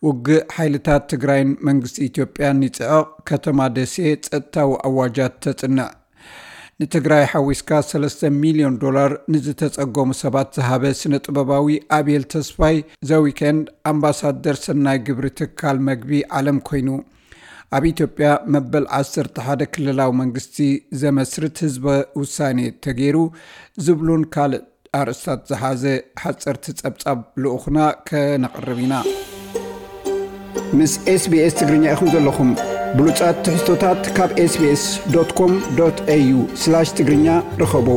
ውግእ ሓይልታት ትግራይን መንግስቲ ኢትዮጵያን ይጽዕቕ፣ ከተማ ደሴ ጸጥታዊ ኣዋጃት ተጽንዕ። ንትግራይ ሓዊስካ ሰለስተ ሚልዮን ዶላር ንዝተጸገሙ ሰባት ዝሃበ ስነ ጥበባዊ ኣቤል ተስፋይ፣ ዘ ዊኬንድ ኣምባሳደር ሰናይ ግብሪ ትካል መግቢ ዓለም ኮይኑ፣ ኣብ ኢትዮጵያ መበል ዓሰርተ ሓደ ክልላዊ መንግስቲ ዘመስርት ህዝበ ውሳኔ ተገይሩ ዝብሉን ካልእ ኣርእስታት ዝሓዘ ሓፀርቲ ጸብጻብ ልኡኽና ከነቕርብ ኢና። ምስ ኤስቢኤስ ትግርኛ ኢኹም ዘለኹም። ብሉጻት ትሕዝቶታት ካብ ኤስቢኤስ ዶት ኮም ዶት ኤዩ ስላሽ ትግርኛ ርኸቡ።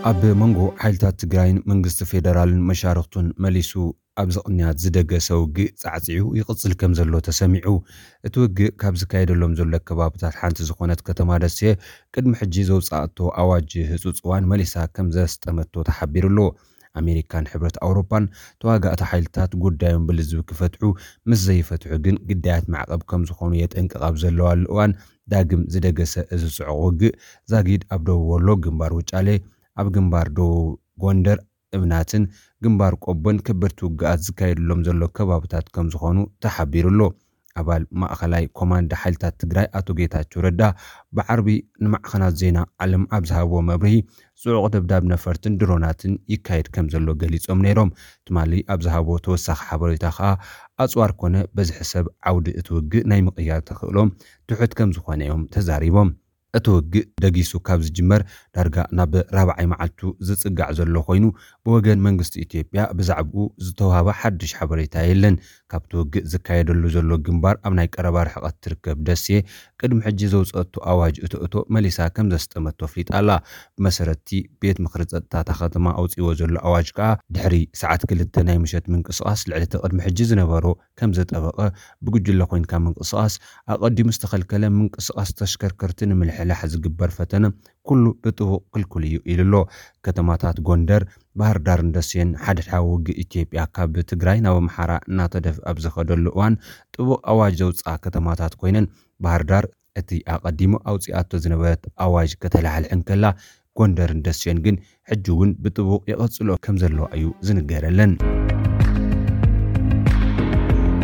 ኣብ መንጎ ሓይልታት ትግራይን መንግስቲ ፌደራልን መሻርኽቱን መሊሱ ኣብዚ ቅንያት ዝደገሰ ውግእ ጻዕጺዑ ይቕጽል ከም ዘሎ ተሰሚዑ። እቲ ውግእ ካብ ዝካየደሎም ዘሎ ከባብታት ሓንቲ ዝኾነት ከተማ ደሴ ቅድሚ ሕጂ ዘውጻእቶ ኣዋጅ ህጹጽ እዋን መሊሳ ከም ዘስጠመቶ ተሓቢሩ ኣሎ። ኣሜሪካን ሕብረት ኣውሮፓን ተዋጋእቲ ሓይልታት ጉዳዮም ብልዝብ ክፈትሑ፣ ምስ ዘይፈትሑ ግን ግዳያት ማዕቐብ ከም ዝኾኑ የጠንቅቕ ኣብ ዘለዋሉ እዋን፣ ዳግም ዝደገሰ እዚ ጽዑቕ ውግእ ዛጊድ ኣብ ደቡብ ወሎ ግንባር ውጫሌ፣ ኣብ ግንባር ደቡብ ጎንደር እብናትን ግንባር ቆቦን ከበድቲ ውግኣት ዝካየድሎም ዘሎ ከባብታት ከም ዝኾኑ ተሓቢሩ ኣሎ። ኣባል ማእኸላይ ኮማንድ ሓይልታት ትግራይ ኣቶ ጌታቸው ረዳ ብዓርቢ ንማዕኸናት ዜና ዓለም ኣብ ዝሃብዎ መብርሂ፣ ጽዑቕ ደብዳብ ነፈርትን ድሮናትን ይካየድ ከም ዘሎ ገሊጾም ነይሮም። ትማሊ ኣብ ዝሃብዎ ተወሳኺ ሓበሬታ ከኣ፣ ኣጽዋር ኮነ በዝሒ ሰብ ዓውዲ እቲ ውግእ ናይ ምቕያር ተኽእሎም ትሑት ከም ዝኾነ እዮም ተዛሪቦም። እቲ ውግእ ደጊሱ ካብ ዝጅመር ዳርጋ ናብ ራብዓይ መዓልቱ ዝጽጋዕ ዘሎ ኮይኑ፣ ብወገን መንግስቲ ኢትዮጵያ ብዛዕባኡ ዝተዋህበ ሓድሽ ሓበሬታ የለን። ካብቲ ውግእ ዝካየደሉ ዘሎ ግንባር ኣብ ናይ ቀረባ ርሕቀት ትርከብ ደሴ፣ ቅድሚ ሕጂ ዘውጸአቶ ኣዋጅ እቶ እቶ መሊሳ ከም ዘስጠመቶ ኣፍሊጣ ኣላ። ብመሰረትቲ ቤት ምኽሪ ጸጥታ እታ ከተማ ኣውጺዎ ዘሎ ኣዋጅ ከኣ፣ ድሕሪ ሰዓት ክልተ ናይ ምሸት ምንቅስቓስ ልዕሊ እቲ ቅድሚ ሕጂ ዝነበሮ ከም ዘጠበቐ፣ ብጉጅለ ኮይንካ ምንቅስቓስ ኣቐዲሙ ዝተኸልከለ፣ ምንቅስቓስ ተሽከርከርቲ ንምልሕላሕ ዝግበር ፈተነ ኩሉ ብጥቡቕ ክልኩል እዩ ኢሉ ኣሎ። ከተማታት ጎንደር፣ ባህር ዳርን ደሴን ሓድሕዳዊ ውግእ ኢትዮጵያ ካብ ትግራይ ናብ ኣምሓራ እናተደፍእ ኣብ ዝኸደሉ እዋን፣ ጥቡቕ ኣዋጅ ዘውፅኣ ከተማታት ኮይነን፣ ባህር ዳር እቲ ኣቐዲሙ ኣውፂኣቶ ዝነበረት ኣዋጅ ከተላሕልሕ እንከላ፣ ጎንደርን ደሴን ግን ሕጂ እውን ብጥቡቕ ይቐጽሎ ከም ዘለዋ እዩ ዝንገረለን።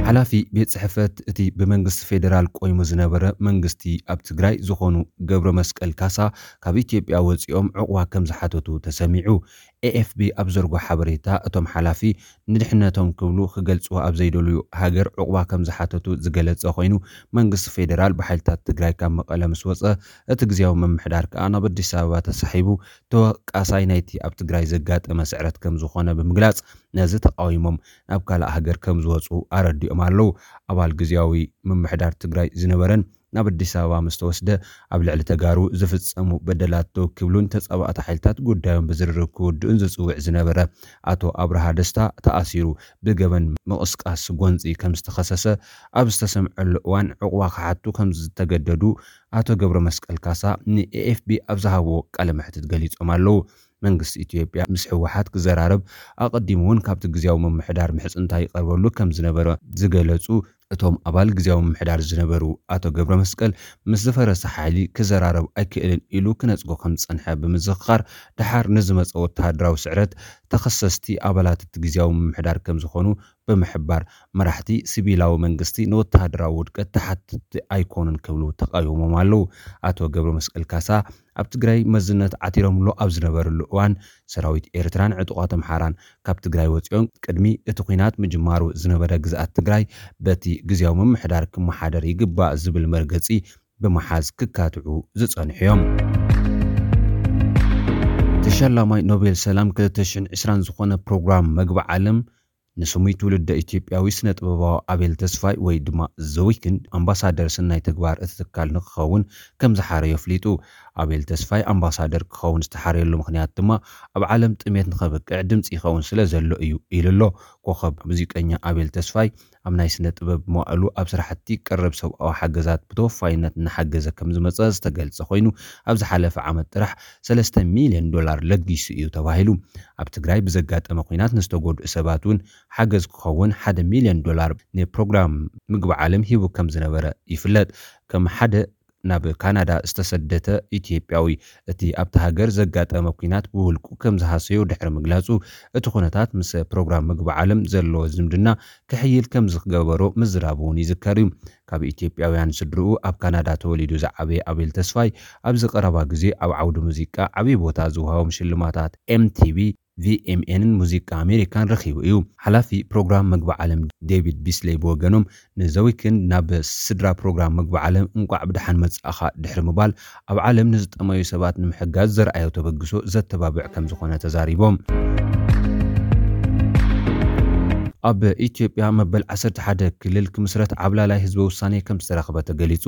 ሓላፊ ቤት ጽሕፈት እቲ ብመንግስቲ ፌዴራል ቆይሙ ዝነበረ መንግስቲ ኣብ ትግራይ ዝኾኑ ገብረ መስቀል ካሳ፣ ካብ ኢትዮጵያ ወጺኦም ዕቑባ ከም ዝሓተቱ ተሰሚዑ። ኤኤፍቢ ኣብ ዘርጎ ሓበሬታ፣ እቶም ሓላፊ ንድሕነቶም ክብሉ ክገልጽዎ ኣብ ዘይደልዩ ሃገር ዕቑባ ከም ዝሓተቱ ዝገለጸ ኮይኑ፣ መንግስቲ ፌዴራል ብሓይልታት ትግራይ ካብ መቐለ ምስ ወጸ፣ እቲ ግዝያዊ ምምሕዳር ከኣ ናብ ኣዲስ ኣበባ ተሳሒቡ፣ ተወቃሳይ ናይቲ ኣብ ትግራይ ዘጋጠመ ስዕረት ከም ዝኾነ ብምግላጽ፣ ነዚ ተቃዊሞም ናብ ካልእ ሃገር ከም ዝወጹ ኣረዲኦም ኣለዉ። ኣባል ግዝያዊ ምምሕዳር ትግራይ ዝነበረን ናብ ኣዲስ ኣበባ ምስ ተወስደ፣ ኣብ ልዕሊ ተጋሩ ዝፍጸሙ በደላት ደው ክብሉን ተጻባእቲ ሓይልታት ጉዳዮም ብዝርርብ ክውድኡን ዝጽውዕ ዝነበረ ኣቶ ኣብርሃ ደስታ ተኣሲሩ፣ ብገበን ምቕስቃስ ጎንጺ ከም ዝተኸሰሰ ኣብ ዝተሰምዐሉ እዋን፣ ዕቑባ ክሓቱ ከም ዝተገደዱ ኣቶ ገብረ መስቀል ካሳ ንኤኤፍቢ ኣብ ዝሃብዎ ቃለ መሕትት ገሊጾም ኣለዉ። መንግስቲ ኢትዮጵያ ምስ ህወሓት ክዘራረብ ኣቐዲሙ እውን ካብቲ ግዝያዊ ምምሕዳር ምሕጽንታ ይቐርበሉ ከም ዝነበረ ዝገለጹ እቶም ኣባል ግዝያዊ ምምሕዳር ዝነበሩ ኣቶ ገብረ መስቀል፣ ምስ ዝፈረሰ ሓይሊ ክዘራረብ ኣይክእልን ኢሉ ክነጽጎ ከም ዝጸንሐ ብምዝኽኻር፣ ደሓር ንዝመጸ ወተሃደራዊ ስዕረት ተኸሰስቲ ኣባላት እቲ ግዝያዊ ምምሕዳር ከም ዝኾኑ ብምሕባር፣ መራሕቲ ሲቪላዊ መንግስቲ ንወተሃደራዊ ውድቀት ተሓተትቲ ኣይኮኑን ክብሉ ተቃዊሞም ኣለዉ። ኣቶ ገብረ መስቀል ካሳ ኣብ ትግራይ መዝነት ዓቲሮምሉ ኣብ ዝነበርሉ እዋን፣ ሰራዊት ኤርትራን ዕጡቓት ኣምሓራን ካብ ትግራይ ወጺኦም፣ ቅድሚ እቲ ኲናት ምጅማሩ ዝነበረ ግዝኣት ትግራይ በቲ ግዝያዊ ምምሕዳር ክመሓደር ይግባእ ዝብል መርገጺ ብምሓዝ ክካትዑ ዝጸንሑ እዮም። ተሸላማይ ኖቤል ሰላም ክልተ ሽሕን ዕስራን ዝኾነ ፕሮግራም መግቢ ዓለም፣ ንስሙይ ትውልደ ኢትዮጵያዊ ስነ ጥበባዊ ኣቤል ተስፋይ ወይ ድማ ዘ ዊክንድ ኣምባሳደር ሰናይ ተግባር እቲ ትካል ንክኸውን ከም ዝሓረዮ ኣፍሊጡ። ኣቤል ተስፋይ ኣምባሳደር ክኸውን ዝተሓረየሉ ምኽንያት ድማ፣ ኣብ ዓለም ጥሜት ንኸብቅዕ ድምፂ ይኸውን ስለ ዘሎ እዩ ኢሉ ኣሎ። ኮኸብ ሙዚቀኛ ኣቤል ተስፋይ ኣብ ናይ ስነ ጥበብ መዋእሉ ኣብ ስራሕቲ ቀረብ ሰብኣዊ ሓገዛት ብተወፋይነት እናሓገዘ ከም ዝመፀ ዝተገልጸ ኮይኑ፣ ኣብ ዝሓለፈ ዓመት ጥራሕ ሰለስተ ሚልዮን ዶላር ለጊሱ እዩ ተባሂሉ። ኣብ ትግራይ ብዘጋጠመ ኲናት ንዝተጎድኡ ሰባት እውን ሓገዝ ክኸውን ሓደ ሚልዮን ዶላር ንፕሮግራም ምግቢ ዓለም ሂቡ ከም ዝነበረ ይፍለጥ። ከም ሓደ ናብ ካናዳ ዝተሰደተ ኢትዮጵያዊ፣ እቲ ኣብቲ ሃገር ዘጋጠመ ኲናት ብውልቁ ከም ዝሃሰዮ ድሕሪ ምግላጹ፣ እቲ ኩነታት ምስ ፕሮግራም ምግቢ ዓለም ዘለዎ ዝምድና ክሕይል ከም ዝገበሮ ምዝራቡ እውን ይዝከር እዩ። ካብ ኢትዮጵያውያን ስድርኡ ኣብ ካናዳ ተወሊዱ ዝዓበየ ኣቤል ተስፋይ፣ ኣብዚ ቀረባ ግዜ ኣብ ዓውዲ ሙዚቃ ዓብዪ ቦታ ዝወሃቦም ሽልማታት ኤምቲቪ፣ ቪኤምኤንን ሙዚቃ ኣሜሪካን ረኺቡ እዩ። ሓላፊ ፕሮግራም ምግቢ ዓለም ዴቪድ ቢስሌይ ብወገኖም፣ ንዘ ዊክንድ ናብ ስድራ ፕሮግራም ምግቢ ዓለም እንቋዕ ብደሓን መጻእኻ ድሕሪ ምባል፣ ኣብ ዓለም ንዝጠመዩ ሰባት ንምሕጋዝ ዘርኣዮ ተበግሶ ዘተባብዕ ከም ዝኾነ ተዛሪቦም። ኣብ ኢትዮጵያ መበል ዓሰርተ ሓደ ክልል ክምስረት ዓብላላይ ህዝበ ውሳኔ ከም ዝተረኽበ ተገሊጹ።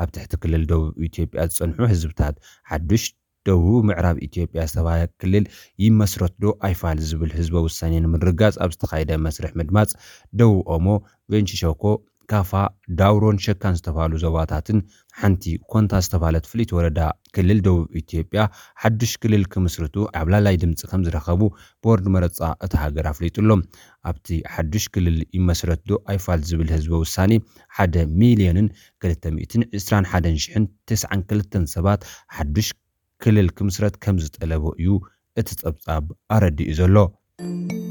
ኣብ ትሕቲ ክልል ደቡብ ኢትዮጵያ ዝጸንሑ ህዝብታት ሓዱሽ ደቡብ ምዕራብ ኢትዮጵያ ዝተባህለ ክልል ይመስረት ዶ ኣይፋል ዝብል ህዝበ ውሳኔ ንምርጋጽ ኣብ ዝተኻየደ መስርሕ ምድማጽ፣ ደቡብ ኦሞ፣ ቬንቺ ሸኮ፣ ካፋ፣ ዳውሮን ሸካን ዝተባህሉ ዞባታትን ሓንቲ ኮንታ ዝተባህለት ፍልይቲ ወረዳ ክልል ደቡብ ኢትዮጵያ ሓዱሽ ክልል ክምስርቱ ዓብላላይ ድምፂ ከም ዝረኸቡ ቦርድ መረፃ እታ ሃገር ኣፍሊጡ ኣሎ። ኣብቲ ሓዱሽ ክልል ይመስረት ዶ ኣይፋል ዝብል ህዝበ ውሳኔ፣ ሓደ ሚልዮንን ክልተ ሚእትን ዕስራን ሓደን ሽሕን ተስዓን ክልተን ሰባት ሓዱሽ ክልል ክምስረት ከም ዝጠለቡ እዩ እቲ ጸብጻብ ኣረዲኡ ዘሎ።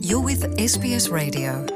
You're with S B S Radio.